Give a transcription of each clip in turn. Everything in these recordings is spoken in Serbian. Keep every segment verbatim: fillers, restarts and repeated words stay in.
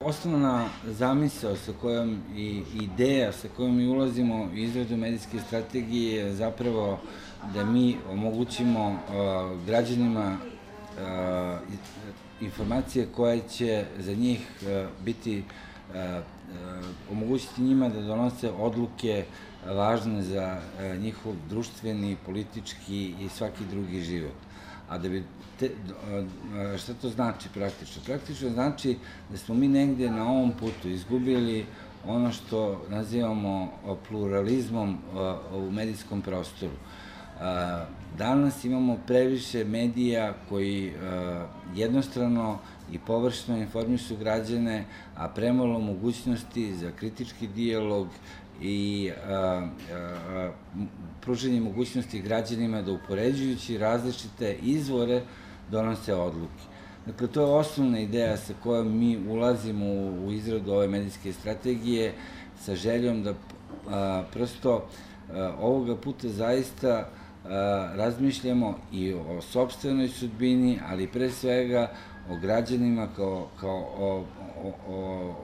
osnovna zamisao sa kojom i ideja sa kojom mi ulazimo u izradu medijske strategije je zapravo da mi omogućimo građanima informacije koje će za njih biti, omogućiti njima da donose odluke važne za njihov društveni, politički i svaki drugi život. A da bi, šta to znači praktično? Praktično znači da smo mi negde na ovom putu izgubili ono što nazivamo pluralizmom u medijskom prostoru. Danas imamo previše medija koji jednostrano i površno informišu građane, a premalo mogućnosti za kritički dijalog i pružanje mogućnosti građanima da upoređujući različite izvore donose odluke. Dakle, to je osnovna ideja sa kojom mi ulazimo u izradu ove medijske strategije sa željom da prosto ovoga puta zaista razmišljamo i o sopstvenoj sudbini, ali pre svega o građanima kao o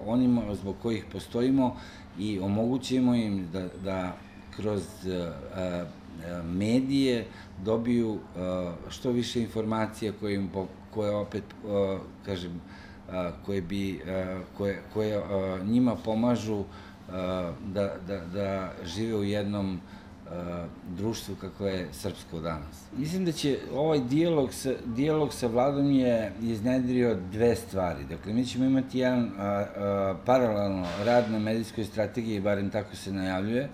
onima zbog kojih postojimo i omogućimo im da kroz medije dobiju što više informacija koje opet, kažem, koje njima pomažu da žive u jednom društvu kako je srpsko danas. Mislim da će ovaj dijalog sa vladom je iznedrio dve stvari. Dakle, mi ćemo imati jedan paralelno rad na medijskoj strategiji, barem tako se najavljuje,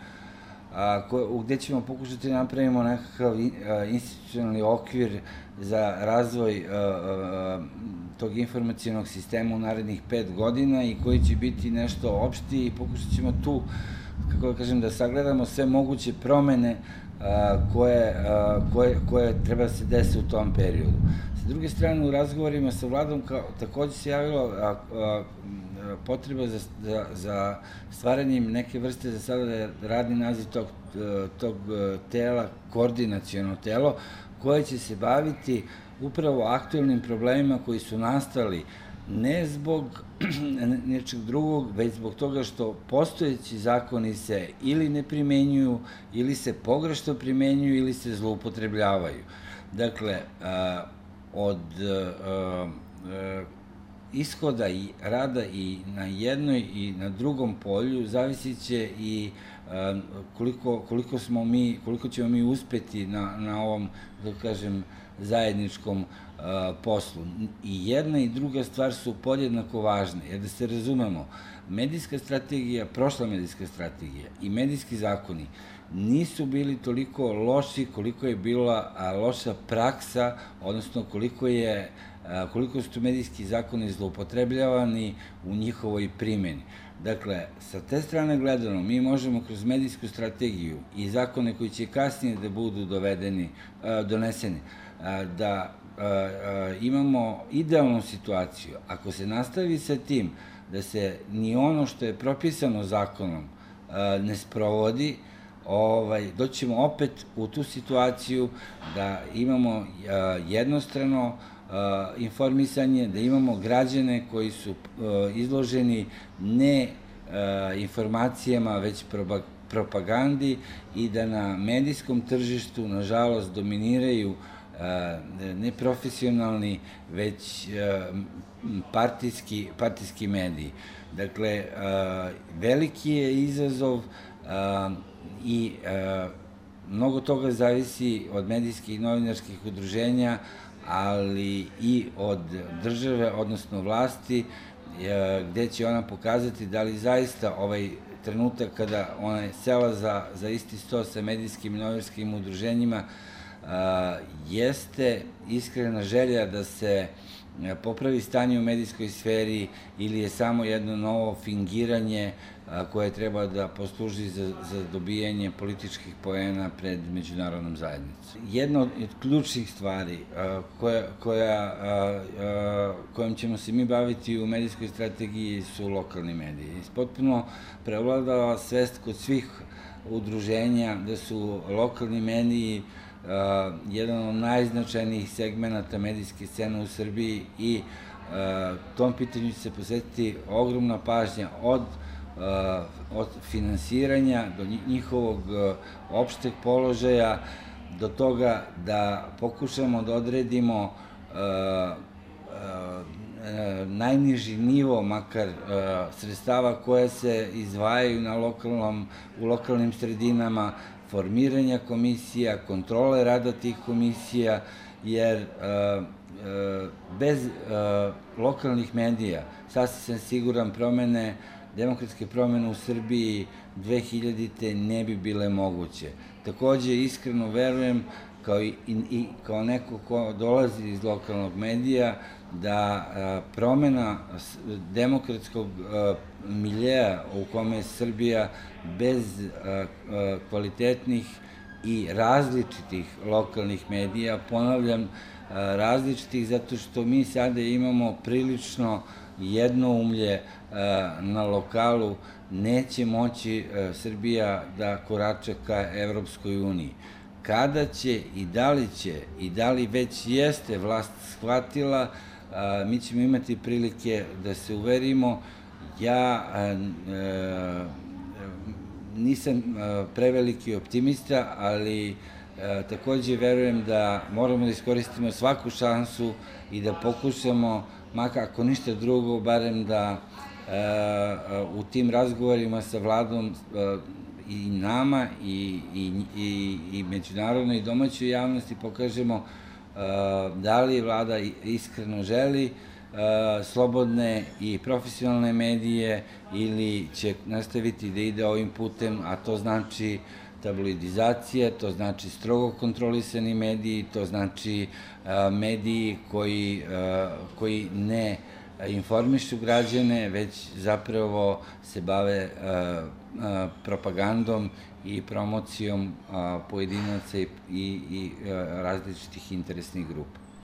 gde ćemo pokušati da napravimo nekakav institucionalni okvir za razvoj tog informacijonog sistema u narednih pet godina i koji će biti nešto opšti i pokušat ćemo tu, kako da kažem, da sagledamo sve moguće promene koje treba da se dese u tom periodu. Sa druge strane, u razgovorima sa vladom takođe se javilo potreba za stvaranjem neke vrste, za sada da je radni naziv tog tela, koordinaciono telo, koje će se baviti upravo aktuelnim problemima koji su nastali ne zbog nečeg drugog, već zbog toga što postojeći zakoni se ili ne primenjuju, ili se pogrešno primenjuju, ili se zloupotrebljavaju. Dakle, od ishoda i rada i na jednoj i na drugom polju zavisit će i koliko smo mi, koliko ćemo mi uspeti na ovom, da kažem, zajedničkom poslu. I jedna i druga stvar su podjednako važne, jer da se razumemo, medijska strategija, prošla medijska strategija i medijski zakoni nisu bili toliko loši koliko je bila loša praksa, odnosno koliko je koliko su tu medijski zakoni zloupotrebljavani u njihovoj primjeni. Dakle, sa te strane gledano, mi možemo kroz medijsku strategiju i zakone koji će kasnije da budu doneseni, da imamo idealnu situaciju. Ako se nastavi sa tim da se ni ono što je propisano zakonom ne sprovodi, doćemo opet u tu situaciju da imamo jednostrano informisanje, da imamo građane koji su izloženi ne informacijama, već propagandi i da na medijskom tržištu, nažalost, dominiraju ne profesionalni, već partijski mediji. Dakle, veliki je izazov i mnogo toga zavisi od medijskih i novinarskih udruženja, ali i od države, odnosno vlasti, gde će ona pokazati da li zaista ovaj trenutak kada ona je sela za isti sto sa medijskim i novinarskim udruženjima jeste iskrena želja da se popravi stanje u medijskoj sferi ili je samo jedno novo fingiranje koje treba da posluži za dobijanje političkih poena pred međunarodnom zajednicom. Jedna od ključnih stvari kojom ćemo se mi baviti u medijskoj strategiji su lokalni mediji. Potpuno prevladava svest kod svih udruženja da su lokalni mediji jedan od najznačajnijih segmenta medijske scene u Srbiji i tom pitanju će se posvetiti ogromna pažnja od od finansiranja do njihovog opšteg položaja, do toga da pokušamo da odredimo najniži nivo, makar sredstava koja se izdvajaju na lokalnom, u lokalnim sredinama, formiranja komisija, kontrole rada tih komisija, jer bez lokalnih medija, sasvim sam siguran, promene, demokratske promene u Srbiji dve hiljadite ne bi bile moguće. Takođe, iskreno verujem, kao i, i kao neko ko dolazi iz lokalnog medija, da promena demokratskog miljeja u kome je Srbija bez kvalitetnih i različitih lokalnih medija, ponavljam, različitih zato što mi sada imamo prilično jednoumlje na lokalu, neće moći Srbija da korača ka Evropskoj uniji. Kada će i da li će i da li već jeste vlast shvatila, mi ćemo imati prilike da se uverimo. Ja nisam preveliki optimista, ali takođe verujem da moramo da iskoristimo svaku šansu i da pokušamo, makar ako ništa drugo, barem da u tim razgovorima sa vladom i nama i, i, i, i međunarodnoj i domaćoj javnosti pokažemo da li vlada iskreno želi slobodne i profesionalne medije ili će nastaviti da ide ovim putem, a to znači tabloidizacija, to znači strogo kontrolisani mediji, to znači mediji koji, koji ne informišu građane, već zapravo se bave propagandom i promocijom pojedinaca i, i različitih interesnih grupa.